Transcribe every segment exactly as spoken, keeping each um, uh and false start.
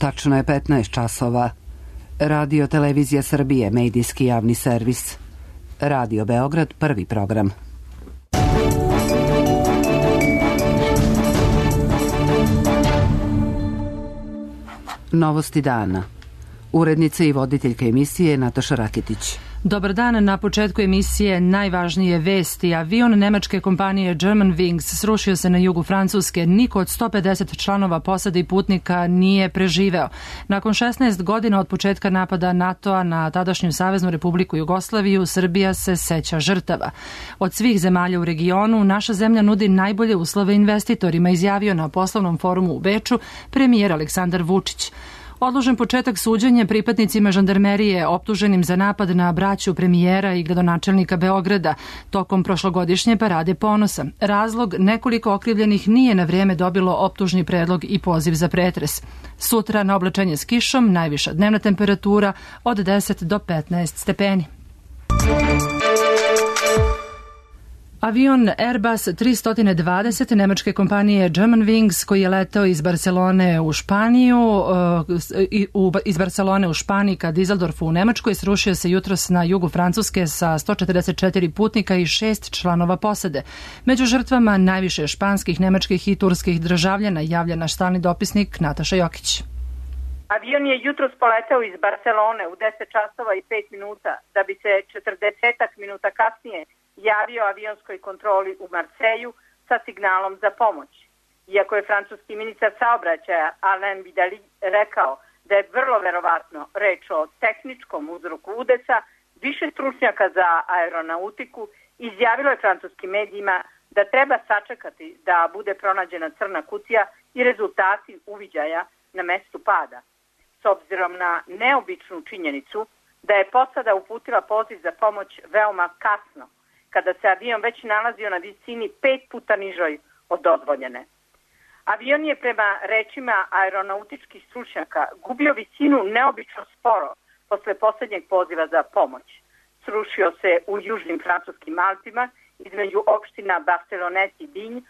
Tačno je petnaest časova. Radio Televizija Srbije, medijski javni servis. Radio Beograd, prvi program. Novosti dana. Urednica i voditeljka emisije Nataša Rakitić. Dobar dan, na početku emisije najvažnije vesti. Avion nemačke kompanije Germanwings srušio se na jugu Francuske. Niko od sto pedeset članova posade i putnika nije preživeo. Nakon šesnaest godina od početka napada NATO-a na tadašnju Saveznu Republiku Jugoslaviju, Srbija se seća žrtava. Od svih zemalja u regionu, naša zemlja nudi najbolje uslove investitorima, izjavio na poslovnom forumu u Beču premijer Aleksandar Vučić. Odložen početak suđenja pripadnicima žandarmerije optuženim za napad na braću premijera i gradonačelnika Beograda tokom prošlogodišnje parade ponosa. Razlog, nekoliko okrivljenih nije na vrijeme dobilo optužni predlog i poziv za pretres. Sutra na oblačenje s kišom, najviša dnevna temperatura od deset do petnaest stepeni. Avion Airbus tristo dvadeset nemačke kompanije Germanwings, koji je letao iz Barcelone u Španiju, iz Barcelone u Španiji ka Düsseldorfu u Nemačkoj, srušio se jutros na jugu Francuske sa sto četrdeset četiri putnika i šest članova posade. Među žrtvama najviše španskih, nemačkih i turskih državljana, javlja naš stalni dopisnik Nataša Jokić. Avion je jutros poletao iz Barcelone u deset časova i pet minuta, da bi se četrdeset minuta kasnije javio avionskoj kontroli u Marseju sa signalom za pomoć. Iako je francuski ministar saobraćaja Alain Vidali rekao da je vrlo verovatno reč o tehničkom uzroku udesa, više stručnjaka za aeronautiku izjavilo je francuskim medijima da treba sačekati da bude pronađena crna kutija i rezultati uviđaja na mestu pada. S obzirom na neobičnu činjenicu da je posada uputila poziv za pomoć veoma kasno, kada se avion već nalazio na visini pet puta nižoj od dozvoljene. Avion je prema rečima aeronautičkih stručnjaka gubio visinu neobično sporo posle posljednjeg poziva za pomoć. Srušio se u južnim francuskim Alpima između opština Barcelonet i Digne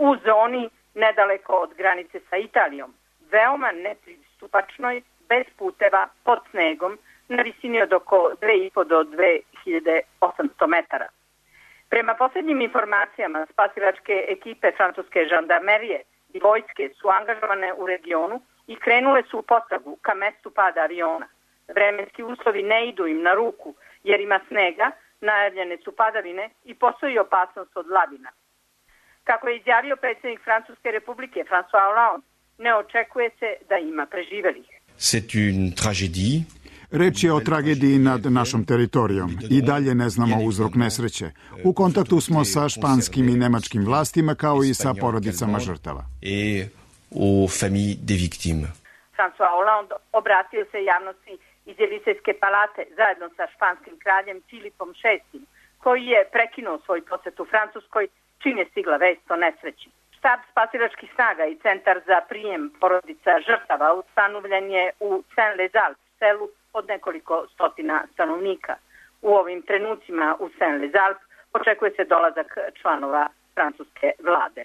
u zoni nedaleko od granice sa Italijom, veoma nepristupačnoj, bez puteva, pod snegom, na visini od oko dve i po do dve hiljade osamsto metara. Prema posljednjim informacijama, spasilačke ekipe francuske žandarmerije i vojske su angažovane u regionu i krenule su u potragu ka mestu pada aviona. Vremenski uslovi ne idu im na ruku jer ima snega, najavljene su padavine i postoji opasnost od lavina. Kako je izjavio predsjednik Francuske republike François Hollande, ne očekuje se da ima preživelih. C'est une tragédie. Reč je o tragediji nad našom teritorijom. I dalje ne znamo uzrok nesreće. U kontaktu smo sa španskim i nemačkim vlastima, kao i sa porodicama žrtava. François Hollande obratio se javnosti iz Elizejske palate zajedno sa španskim kraljem Filipom šestim, koji je prekinuo svoj posjet u Francuskoj čim je stigla vest o nesreći. Štab spasilačkih snaga i centar za prijem porodica žrtava ustanovljen je u Saint-Lazare, selu od nekoliko stotina stanovnika. U ovim trenucima u Saint-Lazare očekuje se dolazak članova francuske vlade.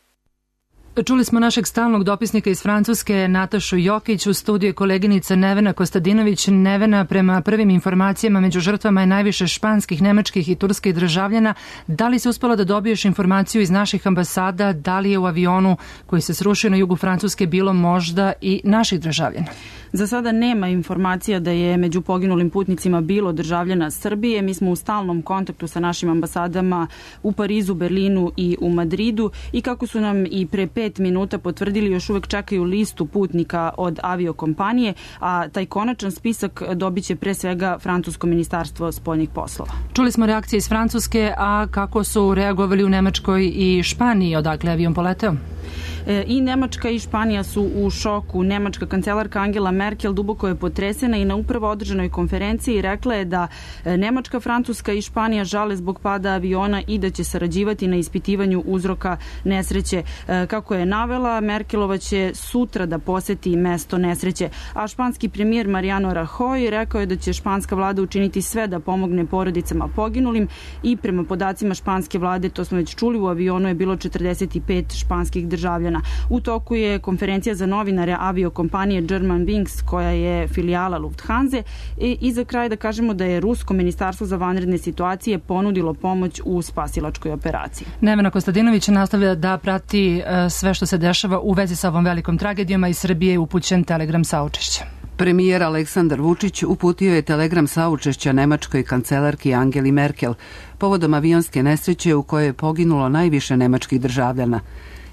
Čuli smo našeg stalnog dopisnika iz Francuske Natašu Jokić, u studiju koleginica Nevena Kostadinović. Nevena, prema prvim informacijama među žrtvama je najviše španskih, nemačkih i turskih državljana. Da li se uspela da dobiješ informaciju iz naših ambasada, da li je u avionu koji se srušio na jugu Francuske bilo možda i naših državljana? Za sada nema informacija da je među poginulim putnicima bilo državljana Srbije. Mi smo u stalnom kontaktu sa našim ambasadama u Parizu, Berlinu i u Madridu i kako su nam i pre pet minuta potvrdili, još uvek čekaju listu putnika od aviokompanije, a taj konačan spisak dobit će pre svega Francusko ministarstvo spoljnih poslova. Čuli smo reakcije iz Francuske, a kako su reagovali u Nemačkoj i Španiji, odakle avion poleteo? I Nemačka i Španija su u šoku. Nemačka kancelarka Angela Merkel duboko je potresena i na upravo održanoj konferenciji rekla je da Nemačka, Francuska i Španija žale zbog pada aviona i da će sarađivati na ispitivanju uzroka nesreće. Kako je navela, Merkelova će sutra da poseti mesto nesreće, a španski premijer Mariano Rajoy rekao je da će španska vlada učiniti sve da pomogne porodicama poginulim i prema podacima španske vlade, to smo već čuli, u avionu je bilo četrdeset pet španskih državljana. državljana. U toku je konferencija za novinare aviokompanije Germanwings, koja je filijala Lufthansa, i, i za kraj da kažemo da je Rusko ministarstvo za vanredne situacije ponudilo pomoć u spasilačkoj operaciji. Nevena Kostadinović nastavlja da prati sve što se dešava u vezi sa ovom velikom tragedijom, a iz Srbije je upućen telegram saučešća. Premijer Aleksandar Vučić uputio je telegram saučešća nemačkoj kancelarki Angeli Merkel povodom avionske nesreće u kojoj je poginulo najviše nemačkih državljana.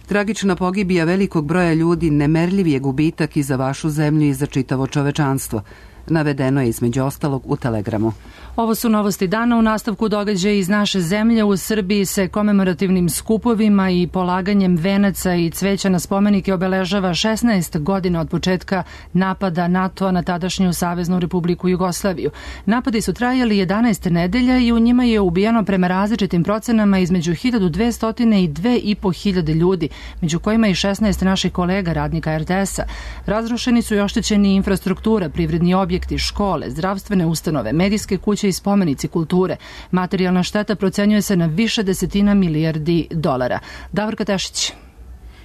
Tragična pogibija velikog broja ljudi nemerljiv je gubitak i za vašu zemlju i za čitavo čovečanstvo. Navedeno je između ostalog u telegramu. Ovo su novosti dana. U nastavku događaja iz naše zemlje. U Srbiji se komemorativnim skupovima i polaganjem venaca i cveća na spomenike obeležava šesnaest godina od početka napada NATO-a na tadašnju Saveznu Republiku Jugoslaviju. Napadi su trajali jedanaest nedelja i u njima je ubijeno prema različitim procenama između hiljadu dvesta i dve i po hiljade ljudi, među kojima i šesnaest naših kolega radnika er te es-a. Razrušeni su i oštećeni infrastruktura, privredni objekti, škole, zdravstvene ustanove, medijske kuće i spomenici kulture. Materijalna šteta procenjuje se na više desetina milijardi dolara. Davorka Tešić.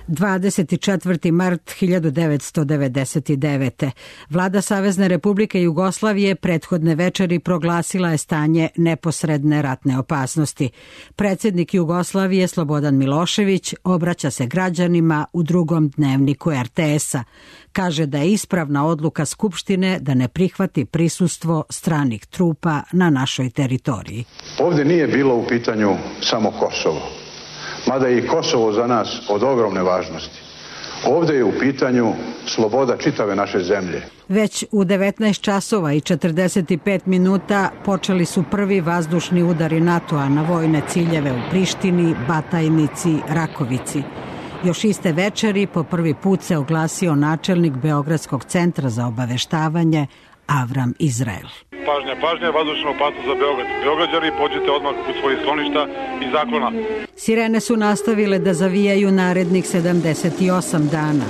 dvadeset četvrti mart hiljadu devetsto devedeset devete. Vlada Savezne Republike Jugoslavije prethodne večeri proglasila je stanje neposredne ratne opasnosti. Predsjednik Jugoslavije Slobodan Milošević obraća se građanima u drugom dnevniku er te es-a. Kaže da je ispravna odluka Skupštine da ne prihvati prisustvo stranih trupa na našoj teritoriji. Ovdje nije bilo u pitanju samo Kosovo, mada je i Kosovo za nas od ogromne važnosti. Ovdje je u pitanju sloboda čitave naše zemlje. Već u devetnaest časova i četrdeset pet minuta počeli su prvi vazdušni udari NATO-a na vojne ciljeve u Prištini, Batajnici, Rakovici. Još iste večeri po prvi put se oglasio načelnik Beogradskog centra za obaveštavanje Avram Izrael. Pažnja, pažnja, vazdušna opasnost za Beograd. Beograđani, pođite odmah u svoje skloništa i zaklona. Sirene su nastavile da zavijaju narednih sedamdeset osam dana.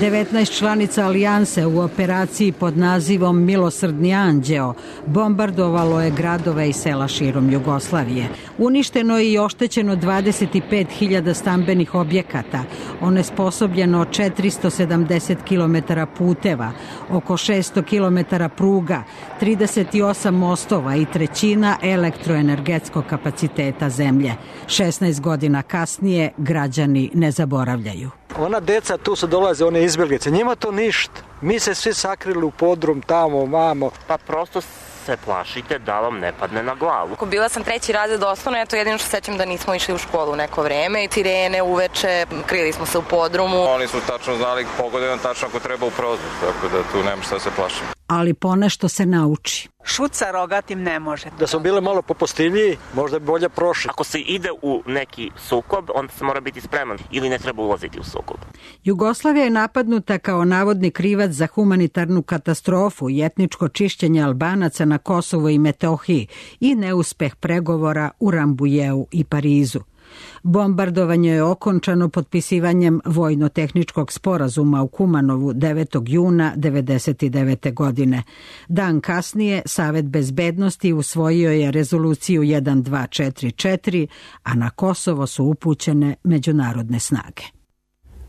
devetnaest članica alijanse u operaciji pod nazivom Milosrdni anđeo bombardovalo je gradove i sela širom Jugoslavije. Uništeno je i oštećeno dvadeset pet hiljada stambenih objekata, onesposobljeno četiristo sedamdeset kilometara puteva, oko šesto kilometara pruga, trideset osam mostova i trećina elektroenergetskog kapaciteta zemlje. šesnaest godina kasnije građani ne zaboravljaju. Ona deca tu su dolaze, one izbjeglice, njima to ništa. Mi se svi sakrili u podrum tamo, mamo. Pa prosto se plašite da vam ne padne na glavu. Bila sam treći razred osnovno, eto jedino što sećam da nismo išli u školu neko vreme i sirene uveče, krili smo se u podrumu. Oni su tačno znali pogodeno tačno ako treba u prozor, tako da tu nema šta se plašiti. Ali ponešto se nauči. Šut sa rogatim ne može. Da smo bile malo popustivniji, možda bi bolje prošli. Ako se ide u neki sukob, onda se mora biti spreman ili ne treba ulaziti u sukob. Jugoslavija je napadnuta kao navodni krivac za humanitarnu katastrofu i etničko čišćenje Albanaca na Kosovu i Metohiji i neuspeh pregovora u Rambujeu i Parizu. Bombardovanje je okončano potpisivanjem vojno-tehničkog sporazuma u Kumanovu devetog juna devedeset devete. godine. Dan kasnije Savet bezbednosti usvojio je rezoluciju jedan dva četiri četiri, a na Kosovo su upućene međunarodne snage.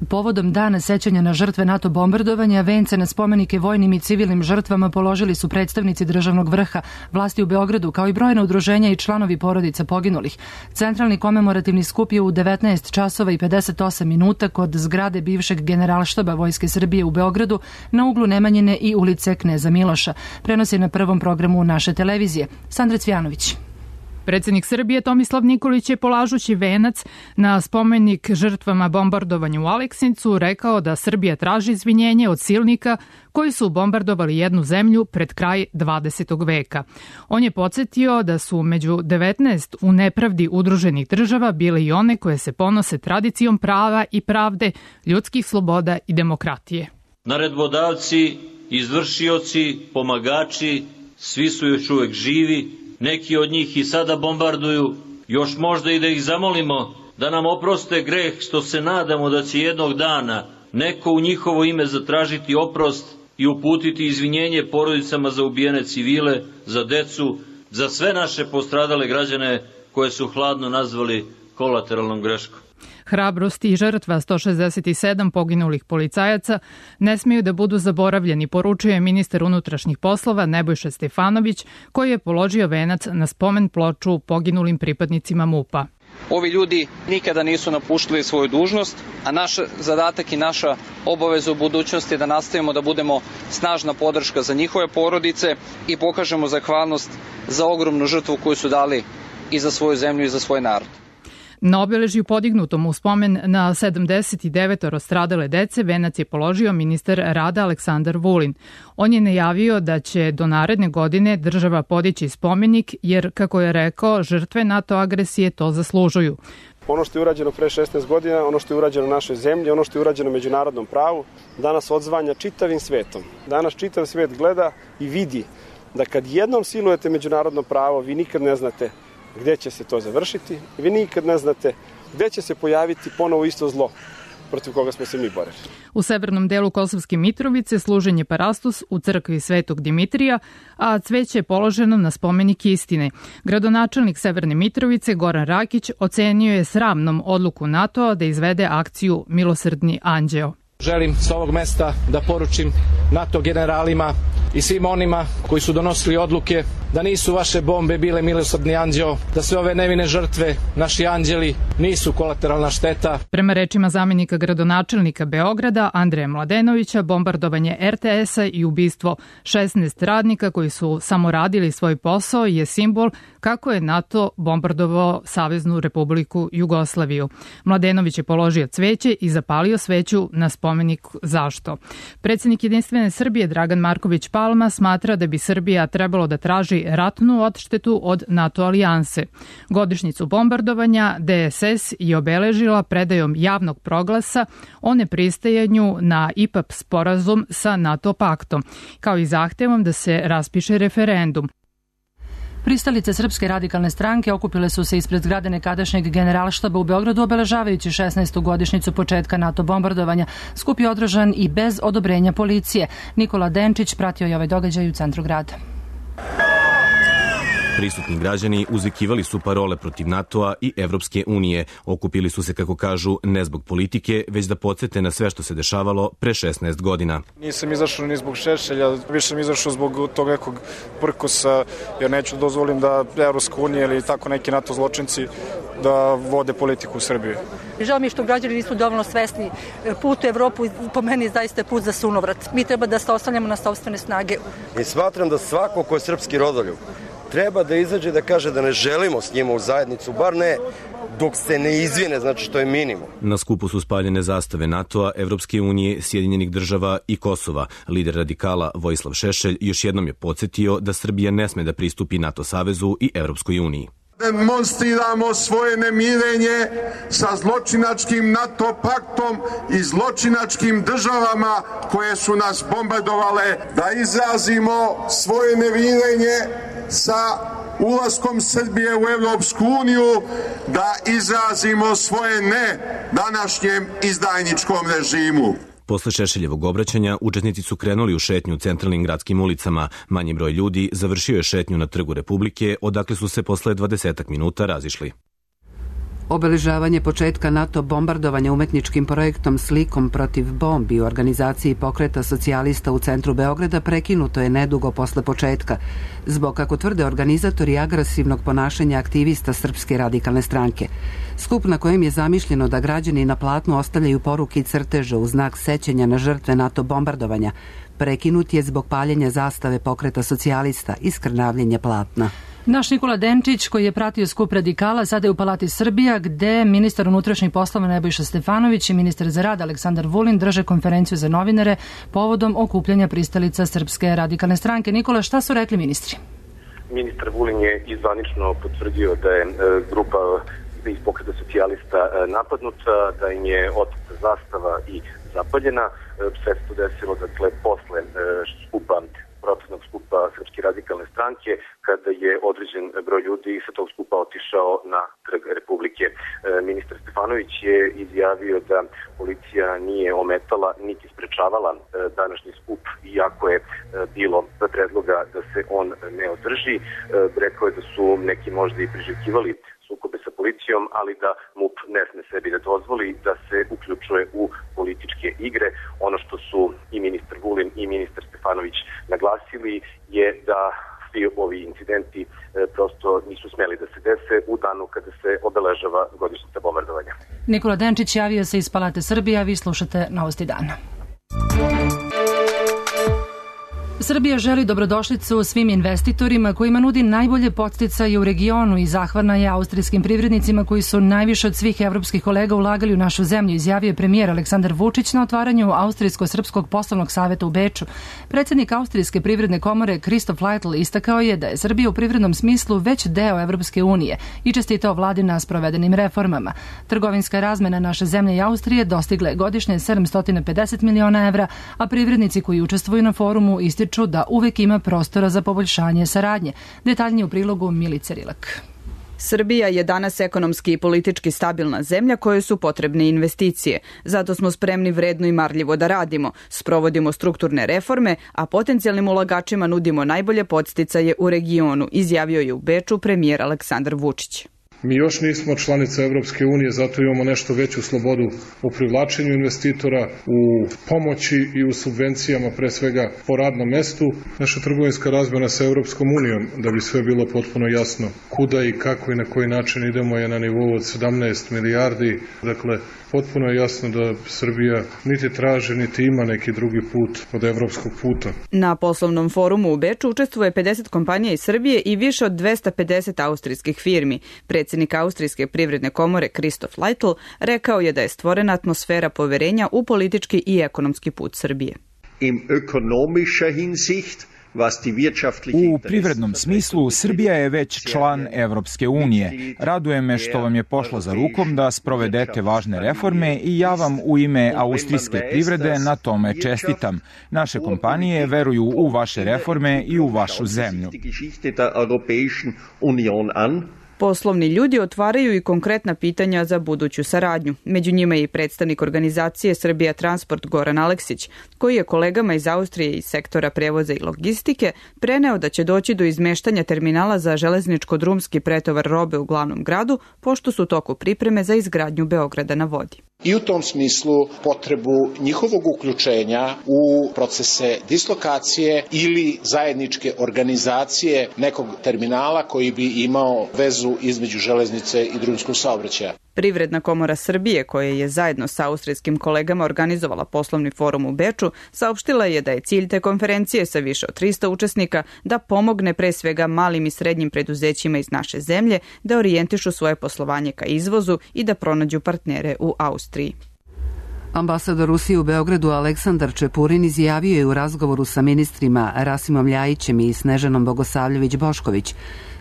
Povodom dana sećanja na žrtve NATO bombardovanja, vence na spomenike vojnim i civilnim žrtvama položili su predstavnici državnog vrha, vlasti u Beogradu, kao i brojna udruženja i članovi porodica poginulih. Centralni komemorativni skup je u devetnaest časova i pedeset osam minuta kod zgrade bivšeg generalštaba Vojske Srbije u Beogradu na uglu Nemanjine i ulice Kneza Miloša. Prenosi na prvom programu naše televizije. Sandra Cvjanović. Predsjednik Srbije Tomislav Nikolić je polažući venac na spomenik žrtvama bombardovanja u Aleksincu rekao da Srbija traži izvinjenje od silnika koji su bombardovali jednu zemlju pred kraj dvadesetog veka. On je podsjetio da su među devetnaest u nepravdi udruženih država bile i one koje se ponose tradicijom prava i pravde, ljudskih sloboda i demokratije. Naredbodavci, izvršioci, pomagači, svi su još uvek živi. Neki od njih i sada bombarduju, još možda i da ih zamolimo da nam oproste greh što se nadamo da će jednog dana neko u njihovo ime zatražiti oprost i uputiti izvinjenje porodicama za ubijene civile, za decu, za sve naše postradale građane koje su hladno nazvali kolateralnom greškom. Hrabrost i žrtva sto šezdeset sedam poginulih policajaca ne smeju da budu zaboravljeni, poručuje ministar unutrašnjih poslova Nebojša Stefanović, koji je položio venac na spomen ploču poginulim pripadnicima MUP-a. Ovi ljudi nikada nisu napuštali svoju dužnost, a naš zadatak i naša obaveza u budućnosti je da nastavimo da budemo snažna podrška za njihove porodice i pokažemo zahvalnost za ogromnu žrtvu koju su dali i za svoju zemlju i za svoj narod. Na obeležju podignutom u spomen na sedamdeset devet stradale dece venac je položio ministar rada Aleksandar Vulin. On je najavio da će do naredne godine država podići spomenik jer, kako je rekao, žrtve NATO agresije to zaslužuju. Ono što je urađeno pre šesnaest godina, ono što je urađeno našoj zemlji, ono što je urađeno međunarodnom pravu, danas odzvanja čitavim svetom. Danas čitav svet gleda i vidi da kad jednom silujete međunarodno pravo, vi nikad ne znate gde će se to završiti, vi nikad ne znate gde će se pojaviti ponovo isto zlo protiv koga smo se mi borili. U severnom delu Kosovske Mitrovice služen je parastos u crkvi Svetog Dimitrija, a cveće je položeno na spomenik istine. Gradonačelnik Severne Mitrovice Goran Rakić ocenio je sramnom odluku NATO-a da izvede akciju Milosrdni anđeo. Želim s ovog mesta da poručim NATO generalima i svim onima koji su donosili odluke da nisu vaše bombe bile milosrdni anđeo, da sve ove nevine žrtve, naši anđeli, nisu kolateralna šteta. Prema rečima zamenika gradonačelnika Beograda Andreja Mladenovića, bombardovanje er te esa i ubistvo šesnaest radnika koji su samo radili svoj posao je simbol kako je NATO bombardovao Saveznu Republiku Jugoslaviju. Mladenović je položio cveće i zapalio sveću na spomenik zašto. Predsjednik Jedinstvene Srbije Dragan Marković Palma smatra da bi Srbija trebalo da traži ratnu odštetu od NATO alijanse. Godišnjicu bombardovanja de es es je obeležila predajom javnog proglasa o nepristajanju na i pe a pe sporazum sa NATO paktom, kao i zahtevom da se raspiše referendum. Pristalice Srpske radikalne stranke okupile su se ispred zgrade nekadašnjeg generalštaba u Beogradu obeležavajući šesnaestu godišnjicu početka NATO bombardovanja. Skup je održan i bez odobrenja policije. Nikola Denčić pratio je ovaj događaj u centru grada. Prisutni građani uzvikivali su parole protiv NATO-a i Evropske unije. Okupili su se, kako kažu, ne zbog politike, već da podsete na sve što se dešavalo pre šesnaest godina. Nisam izašao ni zbog Šešelja, više sam izašao zbog tog nekog prkosa, jer neću dozvolim da Evropska unija ili tako neki NATO zločinci da vode politiku u Srbiji. Žao mi je što građani nisu dovoljno svesni. Put u Evropu po meni zaista je put za sunovrat. Mi treba da se oslanjamo na sopstvene snage. I smatram da svako ko je srpski rodoljub treba da izađe da kaže da ne želimo s njima u zajednicu, bar ne dok se ne izvine, znači što je minimum. Na skupu su spaljene zastave NATO-a, Evropske unije, Sjedinjenih država i Kosova. Lider radikala Vojislav Šešelj još jednom je podsjetio da Srbija ne sme da pristupi NATO savezu i Evropskoj uniji. Demonstriramo svoje nemirenje sa zločinačkim NATO paktom i zločinačkim državama koje su nas bombardovale, da izrazimo svoje nemirenje sa ulaskom Srbije u Evropsku uniju, da izrazimo svoje ne današnjem izdajničkom režimu. Posle Šešeljevog obraćanja, učesnici su krenuli u šetnju centralnim gradskim ulicama. Manji broj ljudi završio je šetnju na Trgu Republike, odakle su se posle dvadesetak minuta razišli. Obeležavanje početka NATO bombardovanja umetničkim projektom Slikom protiv bombi u organizaciji Pokreta socijalista u centru Beograda prekinuto je nedugo posle početka, zbog, kako tvrde organizatori, agresivnog ponašanja aktivista Srpske radikalne stranke. Skup na kojem je zamišljeno da građani na platnu ostavljaju poruke i crteže u znak sećanja na žrtve NATO bombardovanja prekinut je zbog paljenja zastave Pokreta socijalista i skrnavljenja platna. Naš Nikola Denčić, koji je pratio skup radikala, sada je u Palati Srbija, gde ministar unutrašnjih poslova Nebojša Stefanović i ministar za rad Aleksandar Vulin drže konferenciju za novinare povodom okupljanja pristalica Srpske radikalne stranke. Nikola, šta su rekli ministri? Ministar Vulin je izvanično potvrdio da je grupa iz Pokreta socijalista napadnuta, da im je oteta zastava i zapaljena. Sve se to desilo, dakle, posle skupa protestnog skupa Srpske radikalne stranke, kada je određen broj ljudi sa tog skupa otišao na Trg Republike. E, ministar Stefanović je izjavio da policija nije ometala niti sprečavala e, današnji skup, iako je e, bilo predloga da se on ne održi. E, rekao je da su neki možda i priželjkivali sukobe sa policijom, ali da MUP ne sme sebi da dozvoli da se uključuje u političke igre. Ono što su i ministar Vulin i ministar Stefanović naglasili je da svi ovi incidenti e, prosto nisu smeli da se dese u danu kada se obeležava godišnjica bombardovanja. Nikola Denčić javio se iz Palate Srbije, a vi slušate Novosti dana. Srbija želi dobrodošlicu svim investitorima kojima nudi najbolje podsticaje u regionu i zahvalna je austrijskim privrednicima koji su najviše od svih evropskih kolega ulagali u našu zemlju, izjavio je premijer Aleksandar Vučić na otvaranju Austrijsko-srpskog poslovnog saveta u Beču. Predsjednik Austrijske privredne komore Christoph Leitl istakao je da je Srbija u privrednom smislu već deo Evropske unije i čestitao vladi na sprovedenim reformama. Trgovinska razmena naše zemlje i Austrije dostigla je godišnje sedamsto pedeset miliona evra, a privrednici koji učestvuju na forumu ističu da uvek ima prostora za poboljšanje saradnje. Detaljnije u prilogu Milice Rilak. Srbija je danas ekonomski i politički stabilna zemlja kojoj su potrebne investicije. Zato smo spremni vredno i marljivo da radimo. Sprovodimo strukturne reforme, a potencijalnim ulagačima nudimo najbolje podsticaje u regionu, izjavio je u Beču premijer Aleksandar Vučić. Mi još nismo članica Evropske unije, zato imamo nešto veću slobodu u privlačenju investitora, u pomoći i u subvencijama, pre svega po radnom mestu. Naša trgovinska razmena sa Evropskom unijom, da bi sve bilo potpuno jasno kuda i kako i na koji način idemo, je na nivou od sedamnaest milijardi. Dakle, potpuno je jasno da Srbija niti traže, niti ima neki drugi put od evropskog puta. Na poslovnom forumu u Beču učestvuje pedeset kompanija iz Srbije i više od dvesta pedeset austrijskih firmi. Predsjednik Austrijske privredne komore Christoph Leitl rekao je da je stvorena atmosfera poverenja u politički i ekonomski put Srbije. Im ökonomischer Hinsicht U privrednom smislu, Srbija je već član Evropske unije. Raduje me što vam je pošlo za rukom da sprovedete važne reforme i ja vam u ime austrijske privrede na tome čestitam. Naše kompanije veruju u vaše reforme i u vašu zemlju. Poslovni ljudi otvaraju i konkretna pitanja za buduću saradnju. Među njima je i predstavnik organizacije Srbija Transport Goran Aleksić, koji je kolegama iz Austrije iz sektora prevoza i logistike preneo da će doći do izmeštanja terminala za železničko-drumski pretovar robe u glavnom gradu, pošto su u toku pripreme za izgradnju Beograda na vodi. I u tom smislu potrebu njihovog uključenja u procese dislokacije ili zajedničke organizacije nekog terminala koji bi imao vezu između železnice i drumskog saobraćaja. Privredna komora Srbije, koja je zajedno sa austrijskim kolegama organizovala poslovni forum u Beču, saopštila je da je cilj te konferencije sa više od trista učesnika da pomogne pre svega malim i srednjim preduzećima iz naše zemlje da orijentišu svoje poslovanje ka izvozu i da pronađu partnere u Austriji. Ambasador Rusije u Beogradu Aleksandar Čepurin izjavio je u razgovoru sa ministrima Rasimom Ljajićem i Snežanom Bogosavljević-Bošković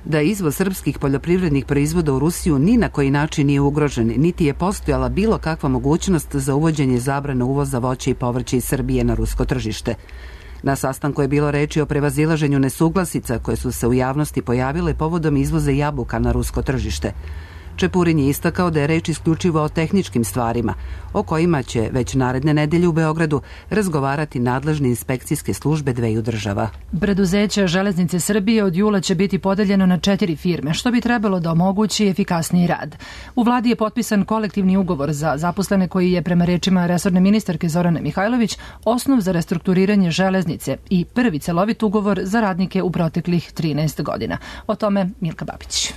da izvoz srpskih poljoprivrednih proizvoda u Rusiju ni na koji način nije ugrožen, niti je postojala bilo kakva mogućnost za uvođenje zabrane uvoza voća i povrća iz Srbije na rusko tržište. Na sastanku je bilo reči o prevazilaženju nesuglasica koje su se u javnosti pojavile povodom izvoza jabuka na rusko tržište. Čepurin je istakao da je reč isključivo o tehničkim stvarima, o kojima će već naredne nedelje u Beogradu razgovarati nadležne inspekcijske službe dveju država. Preduzeće Železnice Srbije od jula će biti podeljeno na četiri firme, što bi trebalo da omogući efikasniji rad. U vladi je potpisan kolektivni ugovor za zaposlene koji je, prema rečima resorne ministarke Zorane Mihajlović, osnov za restrukturiranje železnice i prvi celovit ugovor za radnike u proteklih trinaest godina. O tome Milka Babić.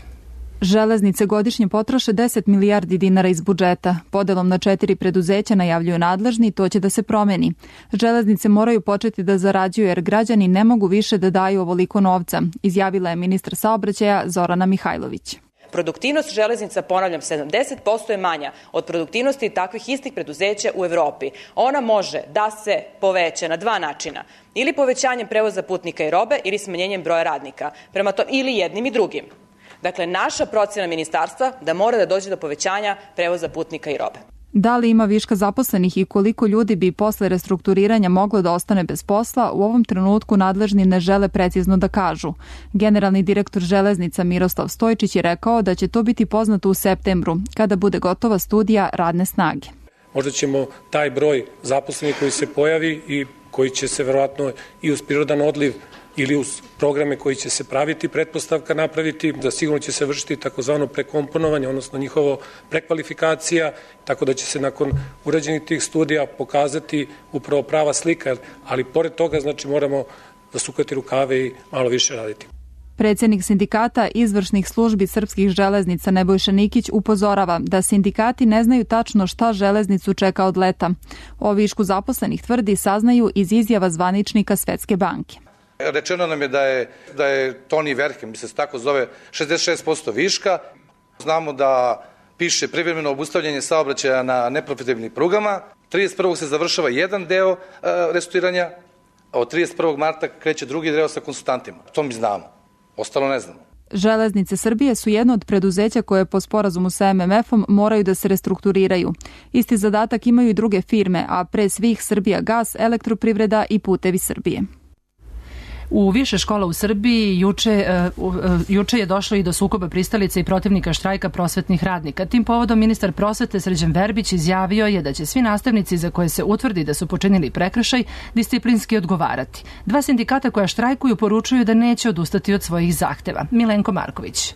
Železnice godišnje potroše deset milijardi dinara iz budžeta. Podelom na četiri preduzeća najavljuju nadležni, to će da se promeni. Železnice moraju početi da zarađuju jer građani ne mogu više da daju ovoliko novca, izjavila je ministar saobraćaja Zorana Mihajlović. Produktivnost železnica, ponavljam, sedamdeset posto je manja od produktivnosti takvih istih preduzeća u Evropi. Ona može da se poveća na dva načina. Ili povećanjem prevoza putnika i robe ili smanjenjem broja radnika. Prema tome, ili jednim i drugim. Dakle, naša procjena ministarstva da mora da dođe do povećanja prevoza putnika i robe. Da li ima viška zaposlenih i koliko ljudi bi posle restrukturiranja moglo da ostane bez posla, u ovom trenutku nadležni ne žele precizno da kažu. Generalni direktor železnica Miroslav Stojčić je rekao da će to biti poznato u septembru, kada bude gotova studija radne snage. Možda ćemo taj broj zaposlenih koji se pojavi i koji će se verovatno i uz prirodan odliv ili uz programe koji će se praviti, pretpostavka napraviti, da sigurno će se vršiti takozvano prekomponovanje, odnosno njihovo prekvalifikacija, tako da će se nakon urađenih tih studija pokazati upravo prava slika, ali pored toga znači moramo zasukati rukave i malo više raditi. Predsjednik sindikata izvršnih službi srpskih železnica Nebojša Nikić upozorava da sindikati ne znaju tačno šta železnicu čeka od leta. O višku zaposlenih tvrdi saznaju iz izjava zvaničnika Svetske banke. Rečeno nam je da je, da je Toni Verke, mi se tako zove, šezdeset šest posto viška. Znamo da piše privremeno obustavljanje saobraćaja na neprofitabilnim prugama. trideset prvog se završava jedan deo uh, restrukturiranja, a od trideset prvog marta kreće drugi deo sa konsultantima. To mi znamo. Ostalo ne znamo. Železnice Srbije su jedno od preduzeća koje po sporazumu sa em em efom moraju da se restrukturiraju. Isti zadatak imaju i druge firme, a pre svih Srbijagas, Elektroprivreda i Putevi Srbije. U više škola u Srbiji juče, uh, uh, juče je došlo i do sukoba pristalica i protivnika štrajka prosvetnih radnika. Tim povodom ministar prosvete Srđan Verbić izjavio je da će svi nastavnici za koje se utvrdi da su počinili prekršaj disciplinski odgovarati. Dva sindikata koja štrajkuju poručuju da neće odustati od svojih zahteva. Milenko Marković.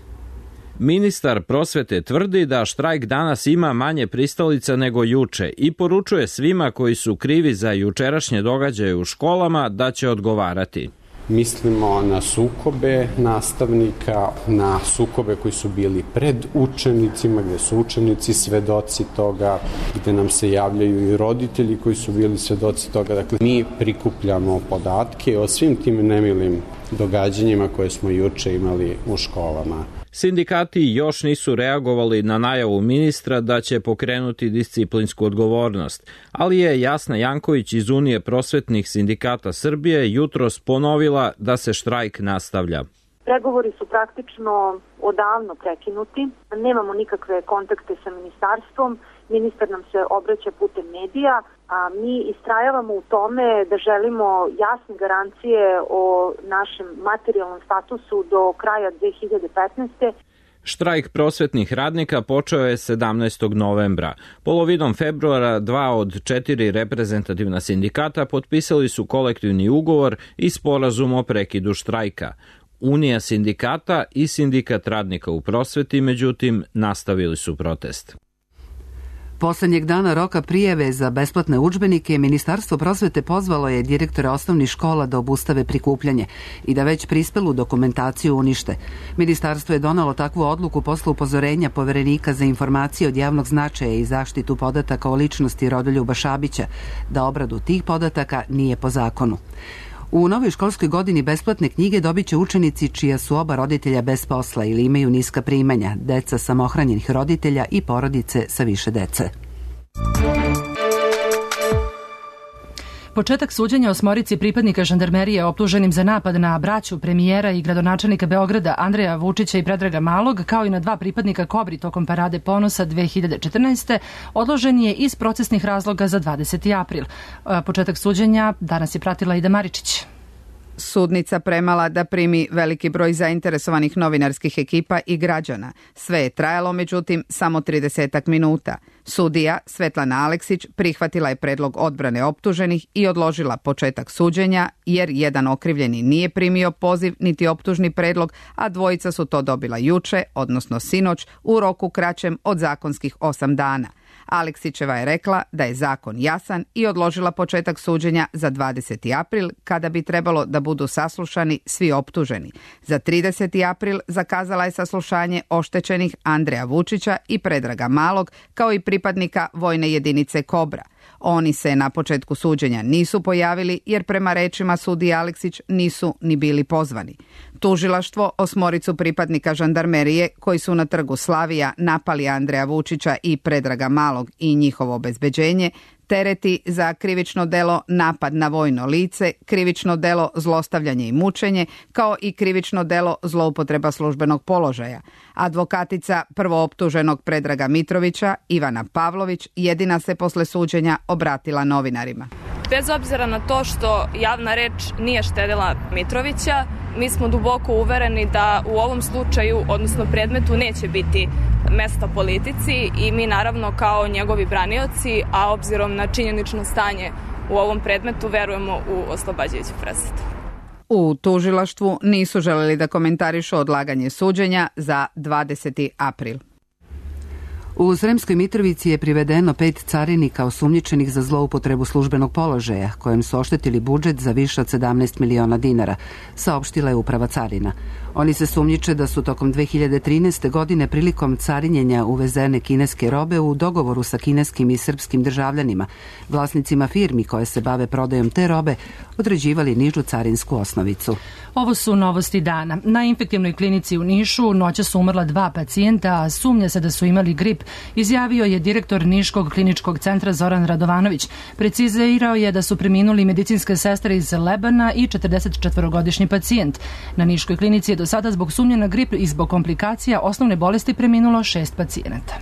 Ministar prosvete tvrdi da štrajk danas ima manje pristalica nego juče i poručuje svima koji su krivi za jučerašnje događaje u školama da će odgovarati. Mislimo na sukobe nastavnika, na sukobe koji su bili pred učenicima, gde su učenici svedoci toga, gde nam se javljaju i roditelji koji su bili svedoci toga. Dakle, mi prikupljamo podatke o svim tim nemilim događanjima koje smo juče imali u školama. Sindikati još nisu reagovali na najavu ministra da će pokrenuti disciplinsku odgovornost, ali je Jasna Janković iz Unije prosvetnih sindikata Srbije jutros ponovila da se štrajk nastavlja. Pregovori su praktično odavno prekinuti, nemamo nikakve kontakte sa ministarstvom, ministar nam se obraća putem medija, a mi istrajavamo u tome da želimo jasne garancije o našem materijalnom statusu do kraja dve hiljade petnaeste. Štrajk prosvetnih radnika počeo je sedamnaestog novembra. Polovinom februara dva od četiri reprezentativna sindikata potpisali su kolektivni ugovor i sporazum o prekidu štrajka. Unija sindikata i sindikat radnika u prosveti, međutim, nastavili su protest. Poslednjeg dana roka prijave za besplatne udžbenike Ministarstvo prosvete pozvalo je direktore osnovnih škola da obustave prikupljanje i da već prispelu dokumentaciju unište. Ministarstvo je donalo takvu odluku posle upozorenja Poverenika za informacije od javnog značaja i zaštitu podataka o ličnosti Rodoljuba Šabića da obradu tih podataka nije po zakonu. U novoj školskoj godini besplatne knjige dobit će učenici čija su oba roditelja bez posla ili imaju niska primanja, deca samohranjenih roditelja i porodice sa više dece. Početak suđenja osmorici pripadnika žandarmerije optuženim za napad na braću premijera i gradonačelnika Beograda Andreja Vučića i Predraga Malog, kao i na dva pripadnika Kobri tokom Parade ponosa dve hiljade četrnaeste. odložen je iz procesnih razloga za dvadeseti april. Početak suđenja danas je pratila Ida Maričić. Sudnica premala da primi veliki broj zainteresovanih novinarskih ekipa i građana. Sve je trajalo, međutim, samo tridesetak minuta. Sudija Svetlana Aleksić prihvatila je predlog odbrane optuženih i odložila početak suđenja, jer jedan okrivljeni nije primio poziv niti optužni predlog, a dvojica su to dobila juče, odnosno sinoć, u roku kraćem od zakonskih osam dana. Aleksićeva je rekla da je zakon jasan i odložila početak suđenja za dvadeseti april, kada bi trebalo da budu saslušani svi optuženi. Za trideseti april zakazala je saslušanje oštećenih Andreja Vučića i Predraga Malog, kao i pripadnika vojne jedinice Kobra. Oni se na početku suđenja nisu pojavili, jer prema rečima sudije Aleksić nisu ni bili pozvani. Tužilaštvo osmoricu pripadnika žandarmerije koji su na trgu Slavija napali Andreja Vučića i Predraga Malog i njihovo obezbeđenje tereti za krivično delo napad na vojno lice, krivično delo zlostavljanje i mučenje, kao i krivično delo zloupotreba službenog položaja. Advokatica prvooptuženog Predraga Mitrovića, Ivana Pavlović, jedina se posle suđenja obratila novinarima. Bez obzira na to što javna reč nije štedila Mitrovića, mi smo duboko uvereni da u ovom slučaju, odnosno predmetu, neće biti mesta politici i mi naravno kao njegovi branioci, a obzirom na činjenično stanje u ovom predmetu, verujemo u oslobađajuću presudu. U tužilaštvu nisu želeli da komentarišu odlaganje suđenja za dvadeseti april. U Sremskoj Mitrovici je privedeno pet carinika osumnjičenih za zloupotrebu službenog položaja, kojem su oštetili budžet za više od sedamnaest miliona dinara, saopštila je Uprava carina. Oni se sumnjiče da su tokom dve hiljade trinaeste. godine prilikom carinjenja uvezene kineske robe u dogovoru sa kineskim i srpskim državljanima, vlasnicima firmi koje se bave prodajom te robe, određivali nižu carinsku osnovicu. Ovo su novosti dana. Na infektivnoj klinici u Nišu noća su umrla dva pacijenta, a sumnja se da su imali grip, izjavio je direktor Niškog kliničkog centra Zoran Radovanović. Precizirao je da su preminuli medicinske sestre iz Lebana i četrdesetčetvorogodišnji pacijent. Na Niškoj klinici je do sada zbog sumnje na grip i zbog komplikacija osnovne bolesti preminulo šest pacijenata.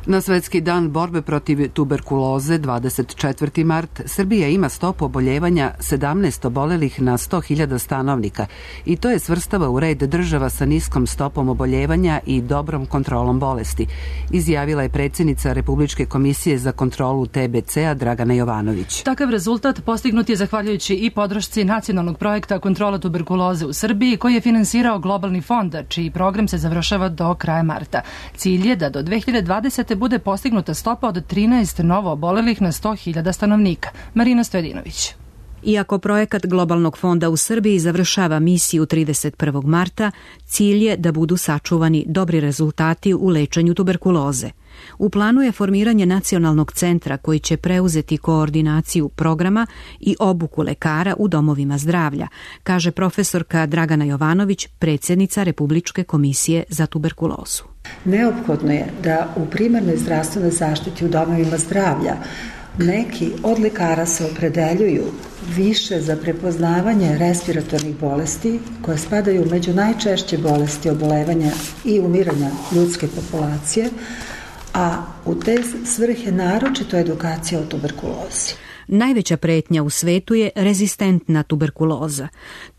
Na Svetski dan borbe protiv tuberkuloze, dvadeset četvrti mart, Srbija ima stopu oboljevanja sedamnaest obolelih na sto hiljada stanovnika i to je svrstava u red država sa niskom stopom oboljevanja i dobrom kontrolom bolesti, izjavila je predsjednica Republičke komisije za kontrolu T B C-a Dragana Jovanović. Takav rezultat postignut je zahvaljujući i podršci nacionalnog projekta kontrola tuberkuloze u Srbiji, koji je finansirao Globalni fond, čiji program se završava do kraja marta. Cilj je da do dve hiljade dvadesete. bude postignuta stopa od trinaest novo obolelih na sto hiljada stanovnika. Marina Stojedinović. Iako projekat Globalnog fonda u Srbiji završava misiju trideset prvog marta, cilj je da budu sačuvani dobri rezultati u lečenju tuberkuloze. U planu je formiranje nacionalnog centra koji će preuzeti koordinaciju programa i obuku lekara u domovima zdravlja, kaže profesorka Dragana Jovanović, predsjednica Republičke komisije za tuberkulozu. Neophodno je da u primarnoj zdravstvenoj zaštiti u domovima zdravlja neki od lekara se opredeljuju više za prepoznavanje respiratornih bolesti koje spadaju među najčešće bolesti obolevanja i umiranja ljudske populacije, a u te svrhe naročito edukacija o tuberkulozi. Najveća pretnja u svetu je rezistentna tuberkuloza.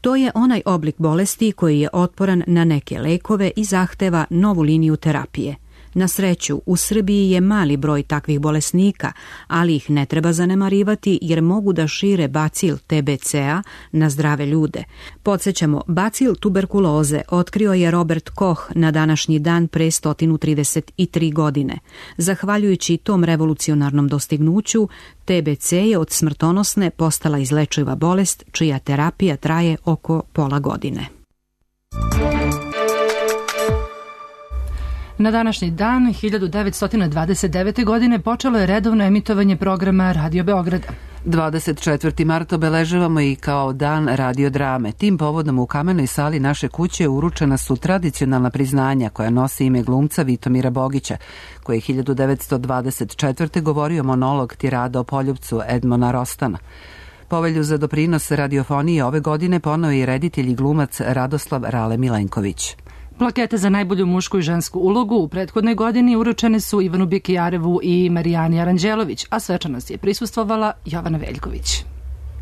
To je onaj oblik bolesti koji je otporan na neke lekove i zahteva novu liniju terapije. Na sreću, u Srbiji je mali broj takvih bolesnika, ali ih ne treba zanemarivati jer mogu da šire bacil T B C-a na zdrave ljude. Podsjećamo, bacil tuberkuloze otkrio je Robert Koch na današnji dan pre sto trideset tri godine. Zahvaljujući tom revolucionarnom dostignuću, T B C je od smrtonosne postala izlečiva bolest čija terapija traje oko pola godine. Na današnji dan, hiljadu devetsto dvadeset devete. godine, počelo je redovno emitovanje programa Radio Beograda. dvadeset četvrti mart obeležavamo i kao dan radiodrame. Tim povodom u kamenoj sali naše kuće uručena su tradicionalna priznanja koja nosi ime glumca Vitomira Bogića, koji je hiljadu devetsto dvadeset četvrte. govorio monolog tirada o poljupcu Edmona Rostana. Povelju za doprinos radiofonije ove godine poneo je reditelj i glumac Radoslav Rale Milenković. Plakete za najbolju mušku i žensku ulogu u prethodnoj godini uručene su Ivanu Bekijarevu i Marijani Aranđelović, a svečanost je prisustvovala Jovana Veljković.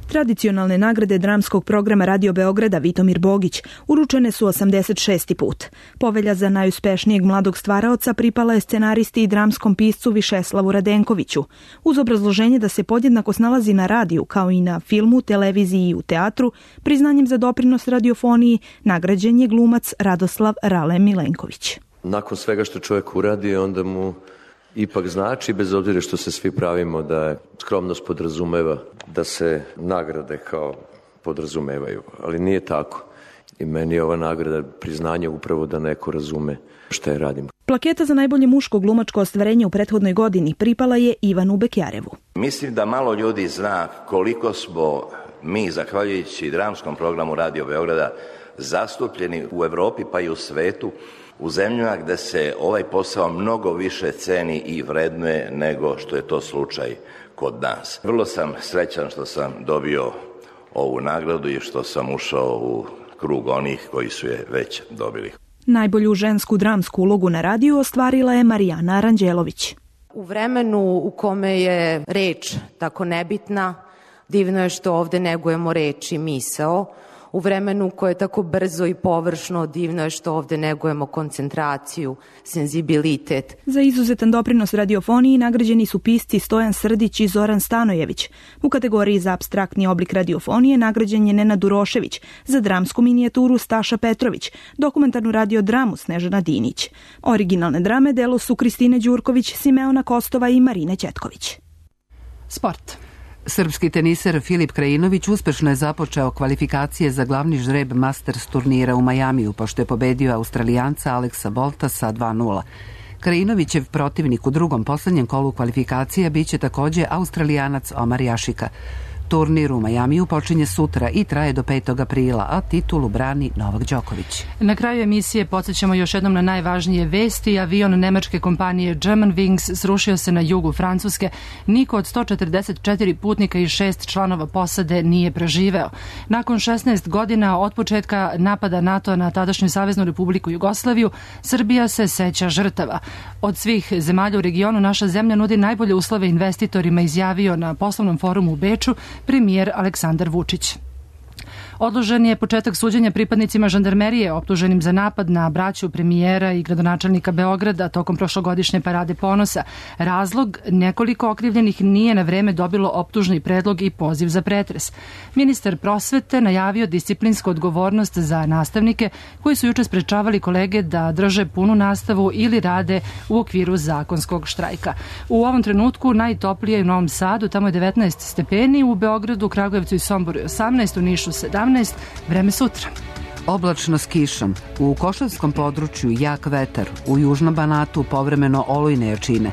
Tradicionalne nagrade dramskog programa Radio Beograda Vitomir Bogić uručene su osamdeset šesti put. Povelja za najuspešnijeg mladog stvaraoca pripala je scenaristi i dramskom piscu Višeslavu Radenkoviću, uz obrazloženje da se podjednako snalazi na radiju kao i na filmu, televiziji i u teatru. Priznanjem za doprinos radiofoniji nagrađen je glumac Radoslav Rale Milenković. Nakon svega što čovjek uradi, onda mu ipak znači, bez obzira što se svi pravimo da je skromnost podrazumeva da se nagrade kao podrazumevaju, ali nije tako. I meni je ova nagrada priznanje upravo da neko razume šta je radim. Plaketa za najbolje muško glumačko ostvarenje u prethodnoj godini pripala je Ivanu Bekjarevu. Mislim da malo ljudi zna koliko smo mi, zahvaljujući dramskom programu Radio Beograda, zastupljeni u Evropi pa i u svetu, u zemljama gde se ovaj posao mnogo više ceni i vrednuje nego što je to slučaj kod nas. Vrlo sam srećan što sam dobio ovu nagradu i što sam ušao u krug onih koji su je već dobili. Najbolju žensku dramsku ulogu na radiju ostvarila je Marijana Aranđelović. U vremenu u kome je reč tako nebitna, divno je što ovde negujemo reč i misao. u vremenu koje je tako brzo i površno, divno je što ovde negujemo koncentraciju, senzibilitet. Za izuzetan doprinos radiofoniji nagrađeni su pisci Stojan Srdić i Zoran Stanojević. U kategoriji za apstraktni oblik radiofonije nagrađen je Nenad Urošević, za dramsku minijaturu Staša Petrović, dokumentarnu radiodramu Snežana Dinić. Originalne drame delo su Kristine Đurković, Simeona Kostova i Marine Ćetković. Sport. Srpski teniser Filip Krajinović uspešno je započeo kvalifikacije za glavni žreb Masters turnira u Majamiju, pošto je pobedio Australijanca Aleksa Bolta sa dva nula. Krajinovićev protivnik u drugom poslednjem kolu kvalifikacija biće takođe Australijanac Omar Jašika. Turnir u Majamiju počinje sutra i traje do petog aprila, a titulu brani Novak Đoković. Na kraju emisije podsjećamo još jednom na najvažnije vesti. Avion nemačke kompanije Germanwings srušio se na jugu Francuske. Niko od sto četrdeset četiri putnika i šest članova posade nije preživeo. Nakon šesnaest godina od početka napada NATO na tadašnju Saveznu Republiku Jugoslaviju, Srbija se seća žrtava. Od svih zemalja u regionu naša zemlja nudi najbolje uslove investitorima, izjavio na poslovnom forumu u Beču premijer Aleksandar Vučić. Odložen je početak suđenja pripadnicima žandarmerije optuženim za napad na braću premijera i gradonačelnika Beograda tokom prošlogodišnje parade ponosa. Razlog, nekoliko okrivljenih nije na vreme dobilo optužni predlog i poziv za pretres. Ministar prosvete najavio disciplinsku odgovornost za nastavnike koji su juče sprečavali kolege da drže punu nastavu ili rade u okviru zakonskog štrajka. U ovom trenutku najtoplije je u Novom Sadu, tamo je devetnaest stepeni, u Beogradu, Kragujevcu i Somboru je osamnaest, u Nišu sedamnaest, vreme sutra. Oblačno s kišom. U Košavskom području jak vetar, u južnom Banatu povremeno olujne jačine.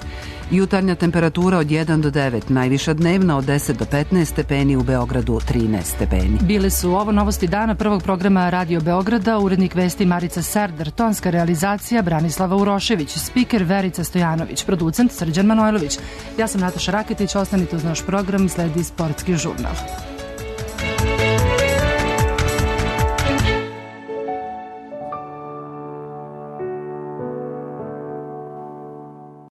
Jutarnja temperatura od jedan do devet, najviša dnevna od deset do petnaest stepeni, u Beogradu trinaest stepeni. Bile su ovo novosti dana prvog programa Radio Beograda, urednik vesti Marica Serdar, tonska realizacija Branislava Urošević, spiker Verica Stojanović, producent Srđan Manojlović. Ja sam Nataša Raketić, ostanite uz naš program, sledi sportski žurnal.